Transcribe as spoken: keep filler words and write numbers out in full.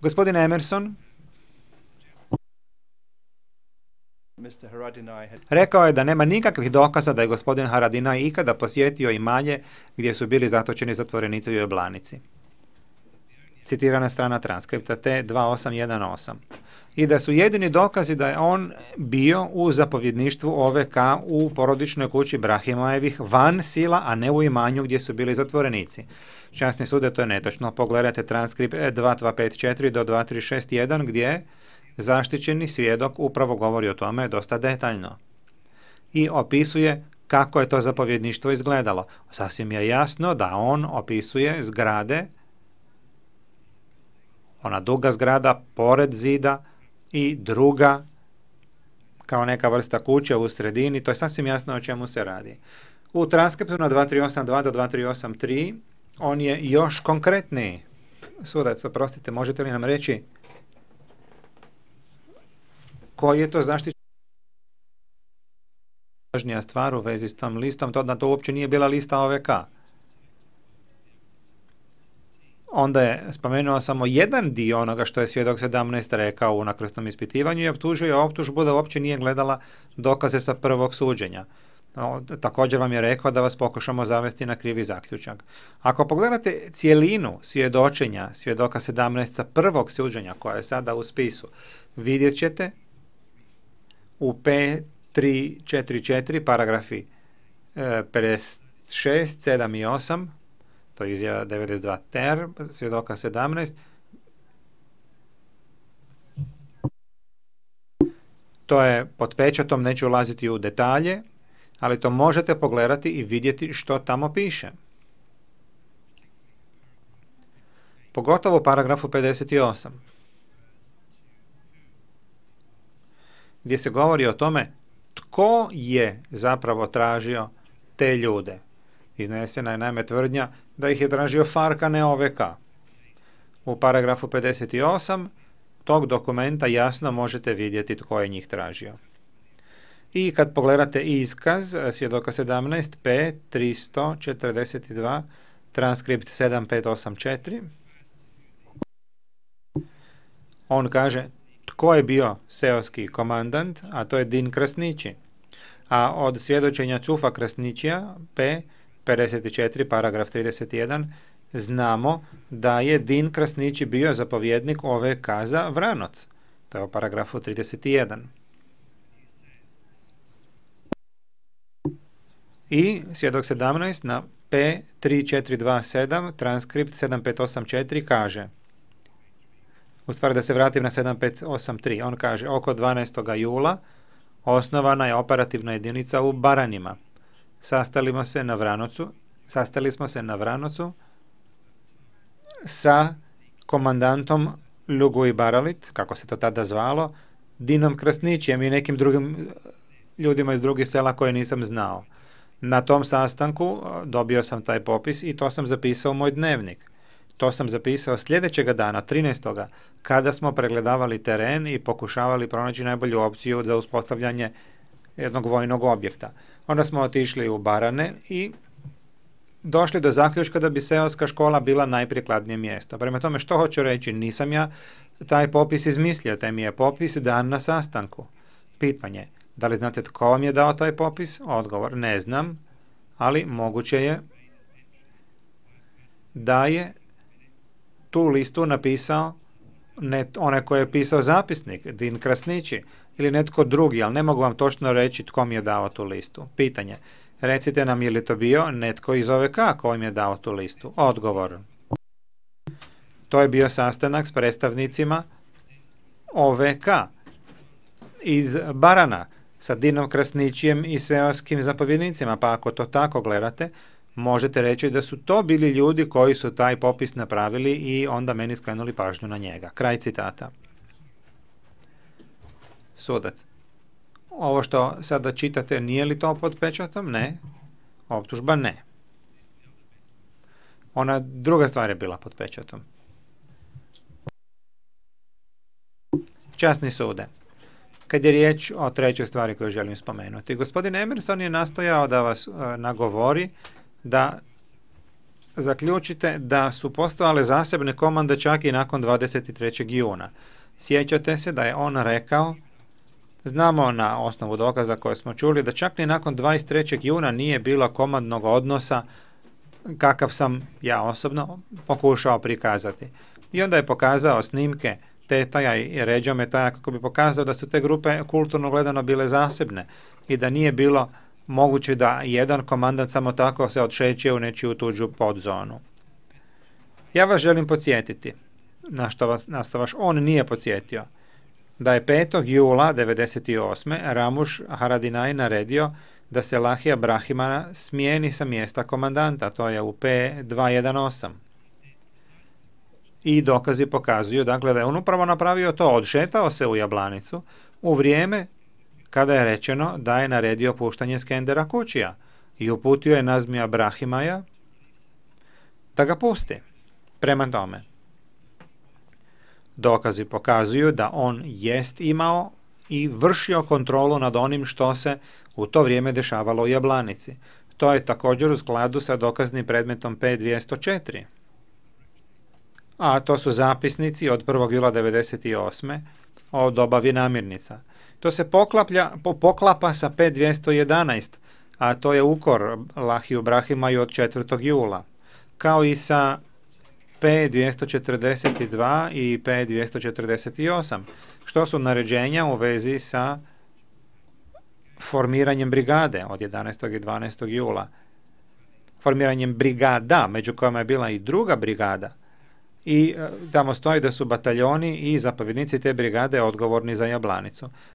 Gospodin Emerson rekao je da nema nikakvih dokaza da je gospodin Haradinaj ikada posjetio imanje gdje su bili zatočeni zatvorenici u Jablanici. Citirana strana transkripta T dva osam jedan osam. I da su jedini dokazi da je on bio u zapovjedništvu O V K u porodičnoj kući Brahimajevih van sila, a ne u imanju gdje su bili zatvorenici. Časni sude, to je netočno. Pogledajte transkript dva dva pet četiri do dva tri šest jedan gdje zaštićeni svjedok upravo govori o tome dosta detaljno. I opisuje kako je to zapovjedništvo izgledalo. Sasvim je jasno da on opisuje zgrade, ona duga zgrada pored zida i druga kao neka vrsta kuće u sredini. To je sasvim jasno o čemu se radi. U transkriptu na dva tri osam dva do dva tri osam tri on je još konkretniji. Sudac, oprostite, možete li nam reći koji je to zaštićen? Važnija stvar u vezi s tom listom, to da to uopće nije bila lista O V K. Onda je spomenuo samo jedan dio onoga što je svjedok sedamnaest rekao u nakrsnom ispitivanju i optužuje optužbu da uopće nije gledala dokaze sa prvog suđenja. No, također vam je rekao da vas pokušamo zavesti na krivi zaključak. Ako pogledate cijelinu svjedočenja svjedoka sedamnaest sa prvog suđenja koja je sada u spisu, vidjet ćete u P tri četiri četiri paragrafi e, pedeset šest, sedam i osam, to je izjava devedeset dva ter, svjedoka sedamnaest, to je pod pečatom, neću ulaziti u detalje, ali to možete pogledati i vidjeti što tamo piše. Pogotovo u paragrafu pedeset osam. Gdje se govori o tome tko je zapravo tražio te ljude. Iznesena je naime tvrdnja da ih je tražio Fark, a ne O V K. U paragrafu pedeset osam tog dokumenta jasno možete vidjeti tko je njih tražio. I kad pogledate iskaz svjedoka sedamnaest P tristo četrdeset dva transkript sedam pet osam četiri, on kaže tko je bio seoski komandant, a to je Din Krasnići. A od svjedočenja Čufa Krasnićija P pedeset četiri paragraf trideset jedan znamo da je Din Krasnići bio zapovjednik O V K za Vranoc. To je u paragrafu trideset jedan. I svjedok sedamnaest na P tri četiri dva sedam transkript sedam pet osam četiri kaže, u stvari da se vratim na sedam pet osam tri, on kaže oko dvanaestog jula osnovana je operativna jedinica u Baranjima. Sastali smo se na Vranocu, sastali smo se na Vranocu sa komandantom Lugoj Baralit, kako se to tada zvalo, Dinom Krasnićijem i nekim drugim ljudima iz drugih sela koje nisam znao. Na tom sastanku dobio sam taj popis i to sam zapisao u moj dnevnik. To sam zapisao sljedećega dana, trinaestog kada smo pregledavali teren i pokušavali pronaći najbolju opciju za uspostavljanje jednog vojnog objekta. Onda smo otišli u Barane i došli do zaključka da bi seoska škola bila najprikladnije mjesto. Prema tome, što hoću reći, nisam ja taj popis izmislio, taj mi je popis dan na sastanku. Pitanje, da li znate tko vam je dao taj popis? Odgovor, ne znam, ali moguće je da je tu listu napisao ne onaj koji je pisao zapisnik, Din Krasnići, ili netko drugi, ali ne mogu vam točno reći tko mi je dao tu listu. Pitanje, recite nam je li to bio netko iz O V K koji mi je dao tu listu? Odgovor, to je bio sastanak s predstavnicima O V K iz Barana, sa Dinom Krasnićijem i seoskim zapovjednicima, pa ako to tako gledate, možete reći da su to bili ljudi koji su taj popis napravili i onda meni skrenuli pažnju na njega. Kraj citata. Sudac. Ovo što sada čitate, nije li to pod pečatom? Ne. Optužba ne. Ona druga stvar je bila pod pečatom. Časni sude. Kad je riječ o trećoj stvari koju želim spomenuti, gospodin Emerson je nastojao da vas e, nagovori da zaključite da su postojale zasebne komande čak i nakon dvadeset trećeg juna. Sjećate se da je on rekao, znamo na osnovu dokaza koje smo čuli, da čak ni nakon dvadeset trećeg juna nije bilo komandnog odnosa kakav sam ja osobno pokušao prikazati. I onda je pokazao snimke Tetaja i Ređometaja kako bi pokazao da su te grupe kulturno gledano bile zasebne i da nije bilo moguće da jedan komandant samo tako se odšeće u nečiju tuđu podzonu. Ja vas želim podsjetiti, na što vas, na što vas on nije podsjetio, da je petog jula devedeset osme Ramuš Haradinaj naredio da se Lahija Brahimana smijeni sa mjesta komandanta, to je u P dvjesto osam. I dokazi pokazuju dakle, da je on upravo napravio to, odšetao se u Jablanicu u vrijeme kada je rečeno da je naredio puštanje Skendera Kučija i uputio je Nazmija Brahimaja da ga pusti. Prema tome, dokazi pokazuju da on jest imao i vršio kontrolu nad onim što se u to vrijeme dešavalo u Jablanici. To je također u skladu sa dokaznim predmetom P dvjesto četiri. A to su zapisnici od prvog jula devedeset osme o dobavi namirnica. To se poklaplja, po, poklapa sa P dvjesto jedanaest, a to je ukor Lahiju Brahimaju od četvrtog jula, kao i sa P dvjesto četrdeset dva i P dvjesto četrdeset osam, što su naređenja u vezi sa formiranjem brigade od jedanaestog i dvanaestog jula. Formiranjem brigada, među kojima je bila i druga brigada, i tamo stoji da su bataljoni i zapovjednici te brigade odgovorni za Jablanicu.